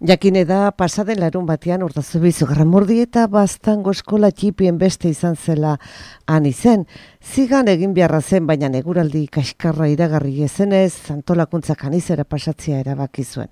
Jakine da, pasaden larun batean Urdazubiz Gramurdieta Baztango eskola txipien beste izan zela han izen. Zigan egin beharra zen, baina eguraldi kaskarra iragarri ezenez, antolakuntzak anizera pasatzea erabaki zuen.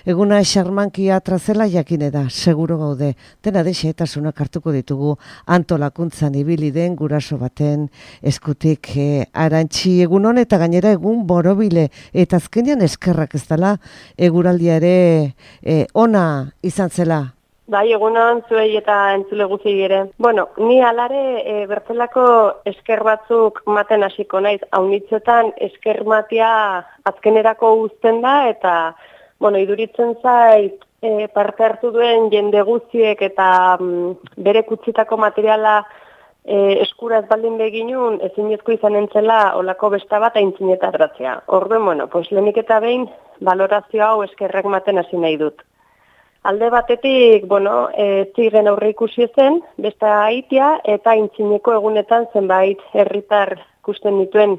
Eguna xarmanki atrazela jakine da, seguro gaude, dena de xehetasunak hartuko ditugu antolakuntzan ibili den guraso baten eskutik Arantxi egun hon eta gainera egun borobile, eta azkenean eskerrak ez dela eguraldia ere ona izan zela. Bai, egunon zuei eta entzule guzti ere. Bueno, ni alare bertzelako esker batzuk maten hasiko naiz. Haunitzetan esker matia azkenerako uzten da eta, bueno, iduritzen zait parte hartu duen jende guztiek eta bere kutsitako materiala eskura ez baldin beginun ezinezko izan entzela olako besta bat aintzinetaratzea. Orduan, bueno, pues lehenik eta behin valorazio hau eskerrak maten hasi nahi dut. Alde batetik, bueno, ziren aurre ikusi zen, beste haitia eta aintzineko egunetan zenbait herritar ikusten dituen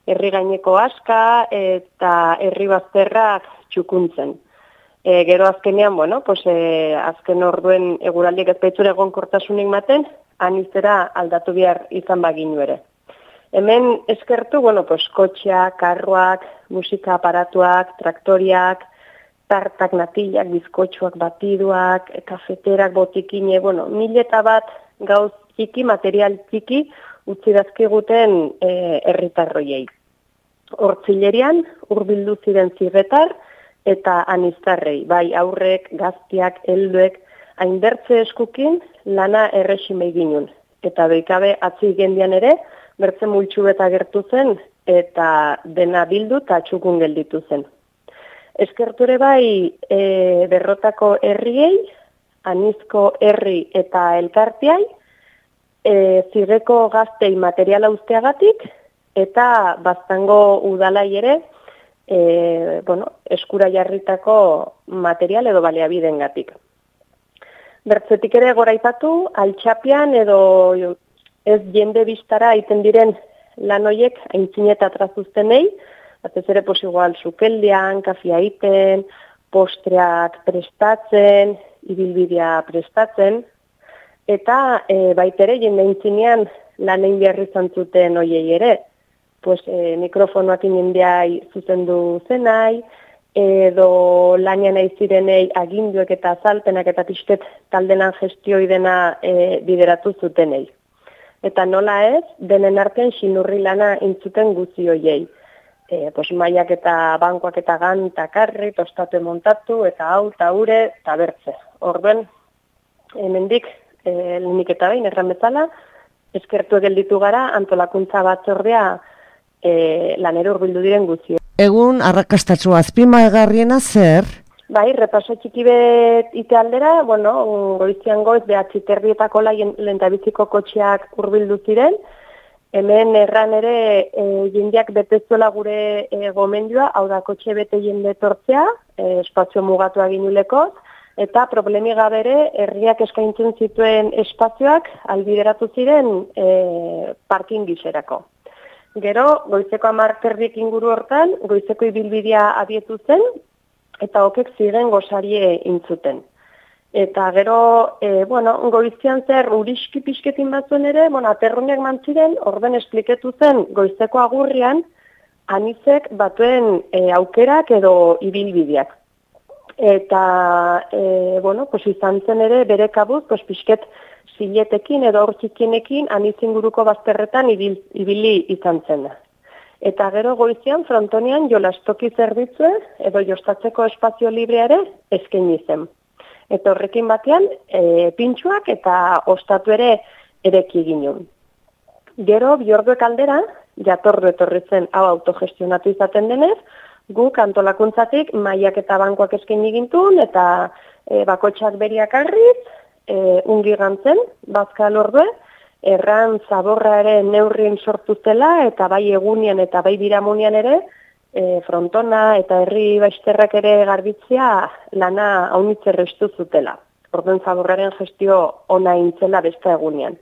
herri gaineko aska eta herri bazterrak txukuntzen. Gero azkenean, bueno, pues, azken orduen eguraldiek ez baitzure egonkortasunik maten, anizera aldatu behar izan baginu ere. Hemen eskertu, bueno, pues, kotxeak, karroak, musika aparatuak, traktoriak, tartak, natilak, bizkotxoak, batiduak, kafeterak, botikine, bueno, 1001 gauz txiki, material txiki, utzi dazkiguten herritarroiei. Hortzilerian, hurbildu ziren zirretar eta aniztarrei, bai aurrek, gaztiak, helduek, hainbertze eskukin lana erresimei ginun. Eta doikabe atzi gendian ere, bertze multxu eta gertu zen, eta dena bildu eta txukun gelditu zen. Eskerture bai berrotako herriei, anizko herri eta elkartiai, zirreko gaztei materiala usteagatik, eta Baztango udalai ere, bueno, eskura jarritako material edo baliabidengatik. Bertzetik ere goraipatu, altxapian edo ez jende biztara iten diren lan hoiek aintzineta trazuztenei, batez ere, pues igual, sukeldian, kafia iten, postreak prestatzen, ibilbidea prestatzen, eta baitere jende aintzinean lan egin behar izan zuten hoiei ere, pues mikrofonoak jendea zuzendu zenai, edo lanian nahi zirenei aginduek eta azalpenak eta pixket taldenan gestioi dena bideratu zutenei. Eta nola ez, denen artean xinurri lana intzuten guzi hoiei. Pues maiak eta bankoak eta ganta karri, tostatu montatu, eta hau, eta ure, eta bertze. Orduan, hemendik, lehenik eta behin, erran bezala, eskertu gelditu gara, antolakuntza batzordea lanero hurbildu diren guzti. Egun, arrakastatzu azpimargarriena zer? Bai, repaso txiki bet ite aldera, bueno, goizian goiz, behatziterrietako lehentabiziko kotxeak hurbildu ziren. Hemen erran ere jendeak betezuela gure gomendioa, hau da kotxe bete jende tortzea, espazio mugatu aginuleko, eta problemi gabere herriak eskaintzen zituen espazioak albideratu ziren parking gizerako. Gero, goizeko 10:00 inguru hortan, goizeko ibilbidea abietu zen, eta okek ziren gosarie intzuten. Eta gero, bueno, goizian zer uriski pixketin batzuen ere, bueno, aterruneak mantziren, orden espliketu zen goizeko agurrian, anizek batuen aukerak edo ibilbideak. Eta, bueno, pues izan zen ere bere kabuz, pues pixket ziletekin edo aurtxikienekin anizinguruko bazterretan ibili izan zen da. Eta gero goizian, frontonean jolastoki zerbitzue edo jostatzeko espazio librea ere eskaini zen. Eta horrekin batean, pintxuak eta ostatu ere ereki ginen. Gero, biorduek aldera, jatordu etorri zen hau autogestionatu izaten denez, guk antolakuntzatik maiak eta bankoak eskaini gintun, eta bakotxak beriak arriz, ungi gantzen, bazkal ordue, erran zaborra ere neurrien sortu zela, eta bai egunian eta bai biramunian ere, frontona eta herri baisterrak ere garbitzea lana haunitzerrestu zutela. Orden zaborraren gestio ona intzela beste egunean.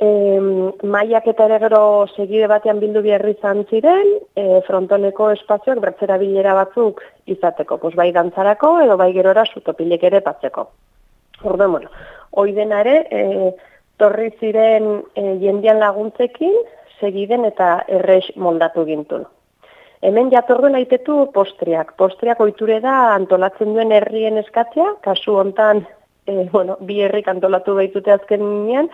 Mailak eta ere gero segide batean bildu biherri izan ziren, frontoneko espazioak bertzerabilera batzuk izateko, bai dantzarako edo bai gerora sutopilek ere batzeko. Orduan, bueno, hoi dena ere, torri ziren jendean laguntzekin, segiden eta errex moldatu gintun. Hemen jatorren aitetu postriak. Postriak ohiture da antolatzen duen herrien eskatzea, kasu hontan, bi herrik antolatu baitute azkenean,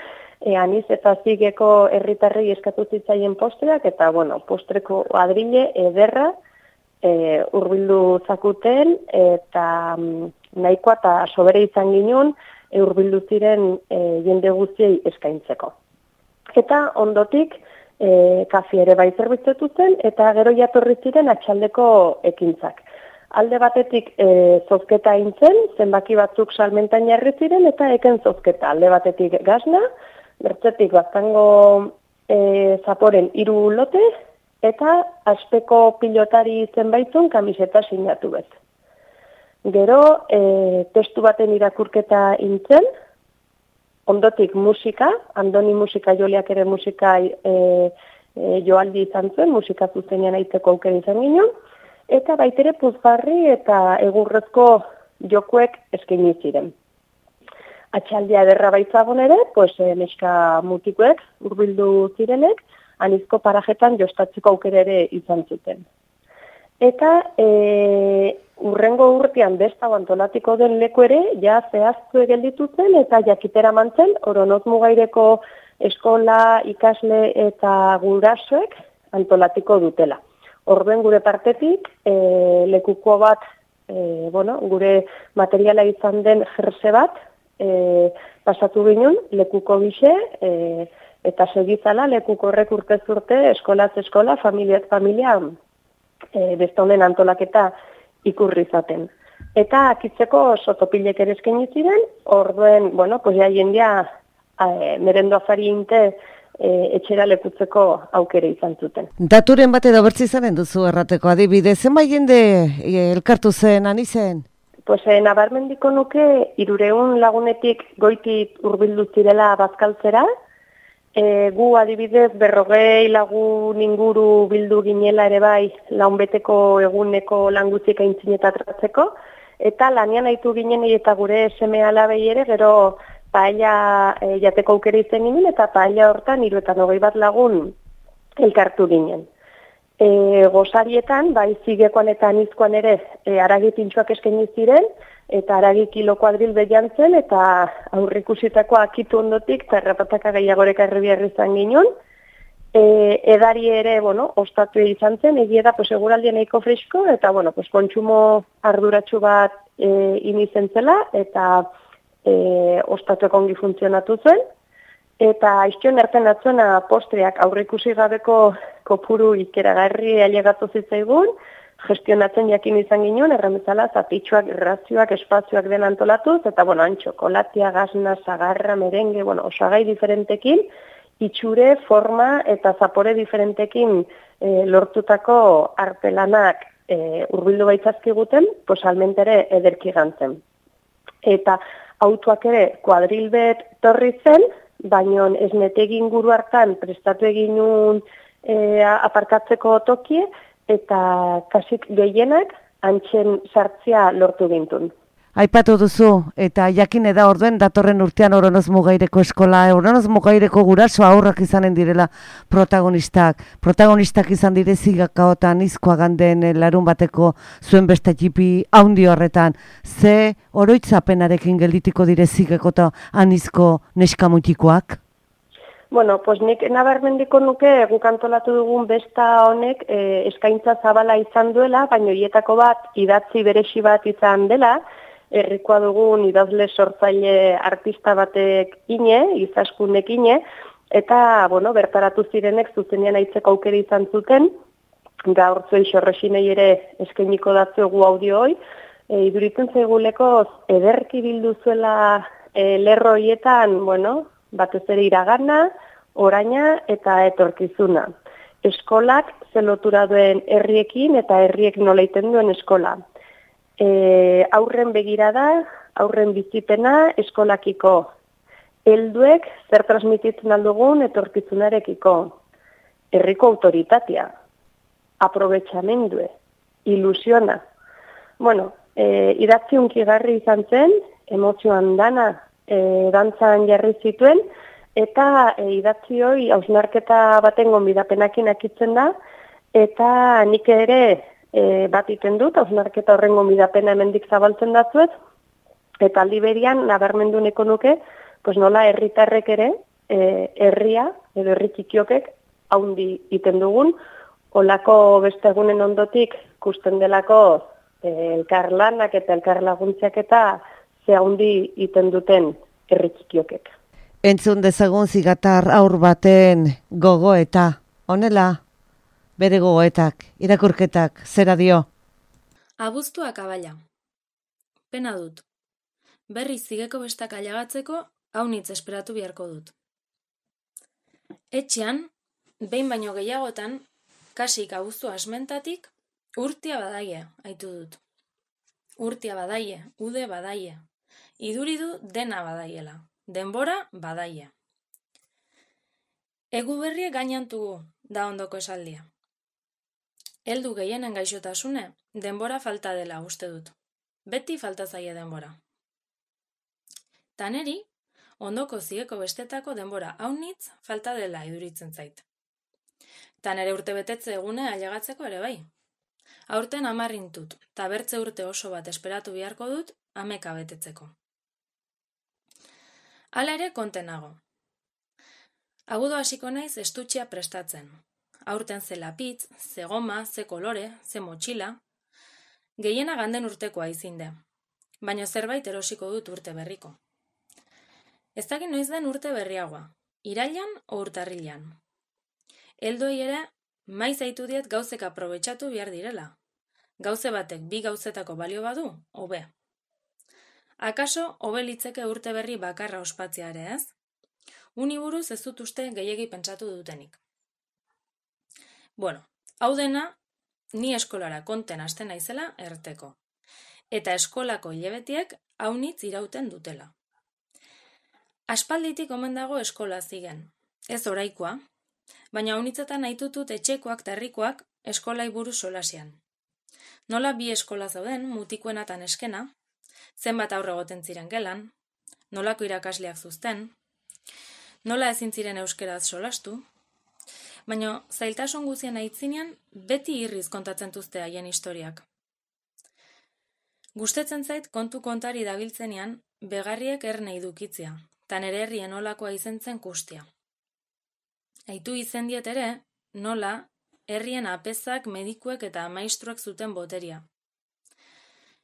aniz eta zigeko herritarrei eskatu zitzaien postriak, eta, postreko adrile ederra hurbildu zakuten, eta nahikoa eta sobere izan ginen hurbildu ziren jende guztiei eskaintzeko. Eta ondotik, kafi ere bai zerbitzetu zen, eta gero jatorri ziren atxaldeko ekintzak. Alde batetik zozketa intzen, zenbaki batzuk salmentan jarri ziren, eta eken zozketa. Alde batetik gazna, bertzetik baztango zaporen 3 lote, eta aspeko pilotari zenbaitzun kamiseta sinatu bet. Gero, testu baten irakurketa intzen, ondotik musika, Andoni musika joliak ere musika joaldi izan zuen, musika zuzenean aitzeko aukera izan ginen, eta baitere puzgarri eta egurrezko jokuek eskaini ziren. Atxaldia ederra baitzagon ere, neska mutikoek hurbildu zirenek, anizko parajetan jostatzeko aukera ere izan zuten. Eta urrengo urtean besta antolatiko den leku ere, ja zehaztu gelditu zen eta jakitera mantzen, Oronoz Mugaireko eskola, ikasle eta gurasoek antolatiko dutela. Orduen gure partetik, lekuko bat, gure materiala izan den jerse bat, pasatu ginen, lekuko gise, eta segizala lekuko horrek urtez urte, eskolaz eskola, familiaz familia, beste honen antolaketa ikurri zaten. Eta akitzeko sotopilek ere eskaini ziren, orduen, jendea merendo afari inte etxera lekutzeko aukere izan zuten. Daturen bat edo bertzi zaren duzu errateko adibidez, zenbait jende elkartu zen, anizen? Nabarmendiko nuke 300 lagunetik goitik hurbildu zirela bazkaltzera, gu adibidez 40 lagun inguru bildu ginela ere bai launbeteko eguneko languzik aintzinetatratzeko, eta lanean aitu ginenei eta gure seme alabei ere gero paella jateko aukera izan ginen, eta paella hortan 21 lagun elkartu ginen. Gozarietan, bai zigekoan eta anizkoan ere haragi pintxoak eskaini ziren, eta haragi kilo kuadril behiantzen, eta aurrikusitako akitu ondotik, eta errapataka gehiagoreka herribiarri izan ginen. Edari ere, ostatu izan zen, egia da, eguraldia nahiko fresko, eta, kontsumo arduratsu bat inizen zela, eta ostatuak ongi funtzionatu zuen. Eta iztion erten atzuena postreak aurrikusi gabeko kopuru ikeragarri ailegatu zitzaigun, gestionatzen jakin izan ginen, erremezala, zapitxoak, razioak, espazioak den antolatuz, eta, txokolatia, gazna, zagarra, merengue, osagai diferentekin, itxure, forma eta zapore diferentekin lortutako artelanak hurbildu baitzazkiguten, salmentere ederki gantzen. Eta autoak ere kuadrilbet torri zen, baina ez netegi inguru hartan prestatu eginun aparkatzeko tokie, eta kasik gehienak antxen sartzea lortu gintun. Aipatu duzu, eta jakin da orduen datorren urtean Oronoz Mugaireko eskola, Oronoz Mugaireko guraso aurrak izanen direla protagonistak. Protagonistak izan dire zigako eta anizkoa ganden larun bateko zuen beste txipi haundi horretan. Ze oroitzapenarekin gelditiko dire zigako eta anizko neskamutikoak? Nik nabarmendiko nuke guk antolatu dugun besta honek eskaintza zabala izan duela, baina hietako bat idatzi beresi bat izan dela, herrikoa dugun idazle sortzaile artista batek izaskunek eta, bertaratu zirenek zuzenean aitzeko aukera izan zuten, gaur zuei xorresinei ere eskainiko datzuegu audio hoi, iduritzen zaiguleko ederki bildu zuela lerro hoietan, batez ere iragana, oraina eta etorkizuna. Eskolak zelotura duen herriekin eta herriek nola iten duen eskola. Aurren begirada, aurren bizipena eskolakiko. helduek zer transmititzen aldugun etorkizunarekiko, herriko autoritatea, aprobetxamendue, ilusiona. Bueno, idatzi hunkigarri izan zen, emozioan dana dantzan jarri zituen, eta idatzi hori hausnarketa baten gonbidapenakin akitzen da, eta nik ere bat iten dut, hausnarketa horren gonbidapena hemendik zabaltzen datzuet, eta aldi berian nabarmendu nahiko nuke, pues nola herritarrek ere, herria, edo herri txikiokek, haundi iten dugun, olako beste egunen ondotik kusten delako elkarlanak eta elkarlaguntziak eta ze haundi iten duten herri txikiokek. Entzun dezagun Zigatar haur baten gogoeta, honela, bere gogoetak, irakurketak, zera dio? Abuztua kabala. Pena dut. Berriz zigeko bestak alagatzeko, haunitz esperatu beharko dut. Etxean, behin baino gehiagotan, kasik abuztua asmentatik, urtia badaie, aitu dut. Urtia badaie, ude badaie. Iduridu dena badaiela, denbora badaie. Egu berrie gainantugu, da ondoko esaldia. Heldu gehienen gaixotasune, denbora falta dela uste dut. Beti falta zaie denbora. Taneri, ondoko zigeko bestetako denbora haunitz falta dela iduritzen zait. Tanere urte betetze egune ailegatzeko ere bai. Aurten 10 intut, eta bertze urte oso bat esperatu beharko dut 10 betetzeko. Hala ere kontenago. Agudo hasiko naiz estutxea prestatzen. Aurten ze lapitz, ze goma, ze kolore, ze motxila. Gehiena ganden urtekoa izinde, baina zerbait erosiko dut urte berriko. Ez dakit noiz den urte berriagoa, irailan o urtarrilan. Helduei ere, maiz aitu diet gauzek aprobetxatu behar direla. Gauze batek 2 gauzetako balio badu, hobe. Akaso, hobe litzeke urte berri bakarra ospatzea ere ez? Uni buruz ez dut uste gehiegi pentsatu dutenik. Bueno, hau dena, ni eskolara konten hasten naizela erteko. Eta eskolako hilabetiek haunitz irauten dutela. Aspalditik omen dago eskola zigen. Ez oraikoa, baina haunitzetan haitutut etxekoak eta herrikoak eskolai buruz solasian. Nola 2 eskola zauden, mutikoena eta neskena, zenbat aurre egoten ziren gelan, nolako irakasleak zuzten, nola ezin ziren euskeraz solastu, baina zailtasun guzien aitzinean beti irriz kontatzen duzte haien historiak. Gustetzen zait kontu kontari dabiltzenean begarriek erne idukitzia, eta nere herrien nolakoa izen zen kustia. Aitu izen diet ere, nola herrien apezak, medikuek eta maistruek zuten boteria.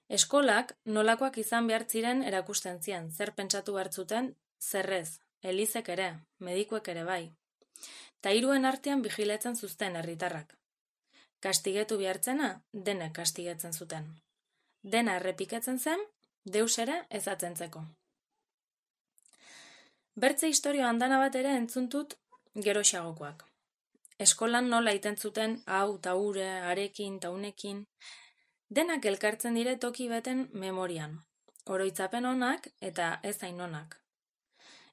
Eskolak nolakoak izan behar ziren erakusten zien, zer pentsatu hartzuten, zerrez, elizek ere, medikuek ere bai. Ta hiruen artean bigiletzen zuzten herritarrak. Kastigetu behartzena, denek kastigetzen zuten. Dena errepiketzen zen, deus ere ezatzentzeko. Bertze historio handana bat ere entzuntut geroxagokoak. Eskolan nola iten zuten hau, ta hure, arekin, ta unekin, denak elkartzen dire toki beten memorian, oroitzapen onak eta ez hain onak.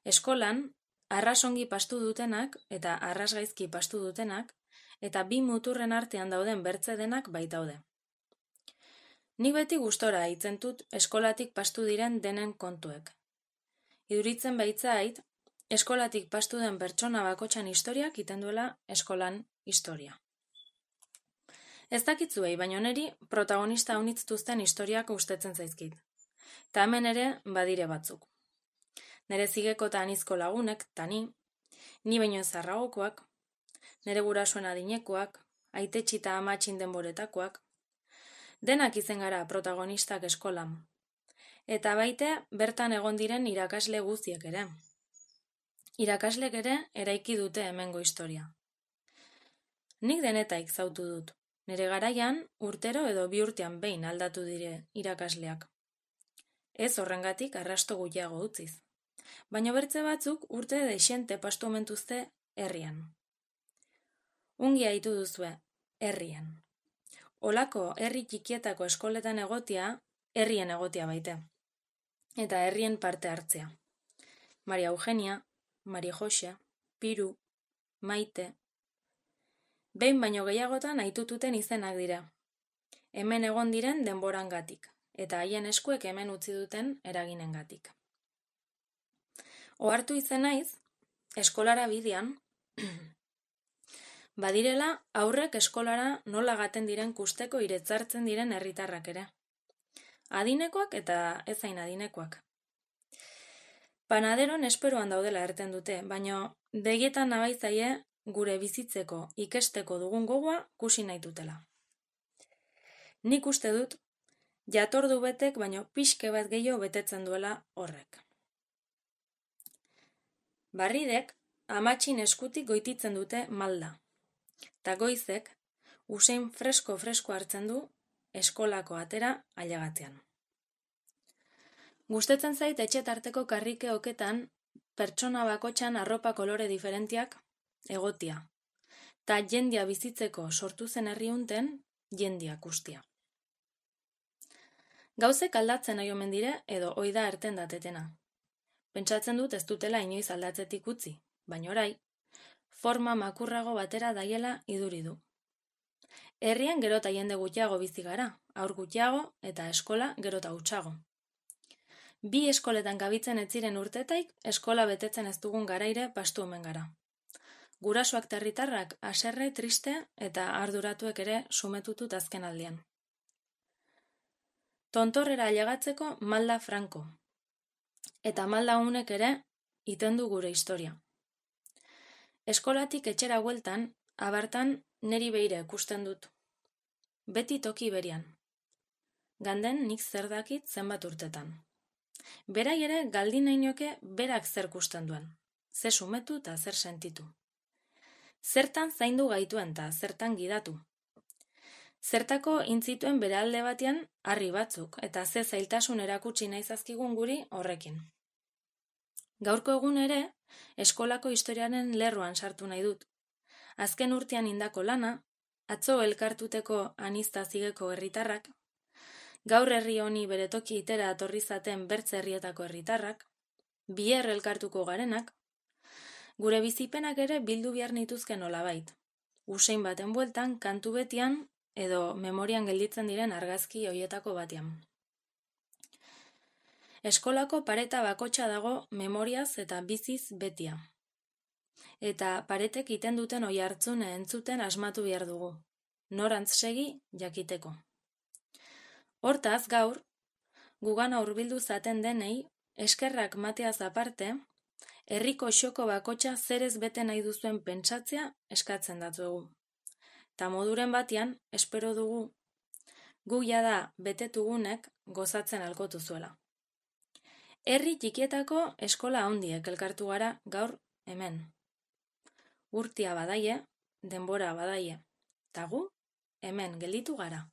Eskolan, arrasongi pastu dutenak eta arrasgaizki pastu dutenak, eta 2 muturren artean dauden bertze denak baitaude. Nik beti gustora hitzen dut eskolatik pastu diren denen kontuek. Iduritzen baitzait, eskolatik pastu den pertsona bakotxan historiak iten duela eskolan historia. Ez dakitzuei, baina neri protagonista haunitztuzten historiak gustatzen zaizkit. Ta hemen ere badire batzuk. Nere zigeko eta anizko lagunek, ta ni baino zarragokoak, nere gurasoen adinekoak, aitetxi eta amatxin denboretakoak, denak izen gara protagonistak eskolan. Eta baite bertan egon diren irakasle guztiek ere. Irakaslek ere eraiki dute hemengo historia. Nik denetaik zautu dut. Nere garaian urtero edo 2 urtean behin aldatu dire irakasleak. Ez horrengatik arrasto gutxiago utziz. Baina bertze batzuk urte deixente pastu omentuzte herrian. Ungi haitu duzue, herrian. Olako herri txikietako eskoletan egotia, herrien egotia baite. Eta herrien parte hartzea. Maria Eugenia, Maria Jose, Piru, Maite. Behin baino gehiagotan aitututen izenak dira. Hemen egon diren denborangatik, eta haien eskuek hemen utzi duten eraginengatik. Ohartu izen naiz, eskolara bidean, badirela aurrek eskolara nola gaten diren kusteko iretzartzen diren herritarrak ere. Adinekoak eta ezain adinekoak. Panaderon esperoan daudela erten dute, baino begietan nabaizaie gure bizitzeko ikesteko dugun gogoa kusi nahi dutela. Nik uste dut, jatordu betek baino pixke bat gehiago betetzen duela horrek. Barridek amatxin eskutik goititzen dute malda, eta goizek usein fresko hartzen du eskolako atera ailegatzean. Gustatzen zait etxetarteko karrike oketan pertsona bakotxan arropa kolore diferentiak egotia, eta jendia bizitzeko sortu zen herriunten jendia kustia. Gauzek aldatzen nahi omen dire edo oida erten datetena. Pentsatzen dut ez dutela inoiz aldatzetik utzi, baina orai, forma makurrago batera daiela iduri du. Herrian gero eta jende gutxiago bizi gara, haur gutxiago eta eskola gero eta hutsago. 2 eskoletan gabitzen ez ziren urtetaik eskola betetzen ez dugun garaire pastu omen gara. Gurasoak eta herritarrak haserre, triste eta arduratuek ere sumetutut azken aldian. Tontorrera ailegatzeko malda franko. Eta malda honek ere iten du gure historia. Eskolatik etxera bueltan, abartan neri beira ikusten dut. Beti toki berian. Ganden nik zer dakit zenbat urtetan. Berai ere galdin nahi nioke berak zer kusten duen. Ze sumetu eta zer sentitu. Zertan zaindu gaituen eta zertan gidatu. Zertako intzituen bere alde batean harri batzuk eta ze zailtasun erakutsi nahi zazkigun guri horrekin. Gaurko egun ere, eskolako historiaren lerroan sartu nahi dut. Azken urtean indako lana, atzo elkartuteko aniztazigeko herritarrak, gaur herri honi bere toki itera atorri zaten bertze herrietako herritarrak, biher elkartuko garenak, gure bizipenak ere bildu behar nituzke nolabait. Usein baten bueltan, kantu betian edo memorian gelditzen diren argazki hoietako batean. Eskolako pareta bakotxa dago memoriaz eta biziz betia. Eta paretek iten duten oihartzune entzuten asmatu behar dugu. Norantz segi jakiteko. Hortaz gaur, gugana hurbildu zaten denei, eskerrak mateaz aparte, herriko xoko bakotxa zerez bete nahi duzuen pentsatzea eskatzen datugu. Ta moduren batean, espero dugu, gu jada betetugunek gozatzen alkotu zuela. Herri txikietako eskola handiek elkartu gara gaur hemen. Urtia badaie, denbora badaie, ta gu hemen gelditu gara.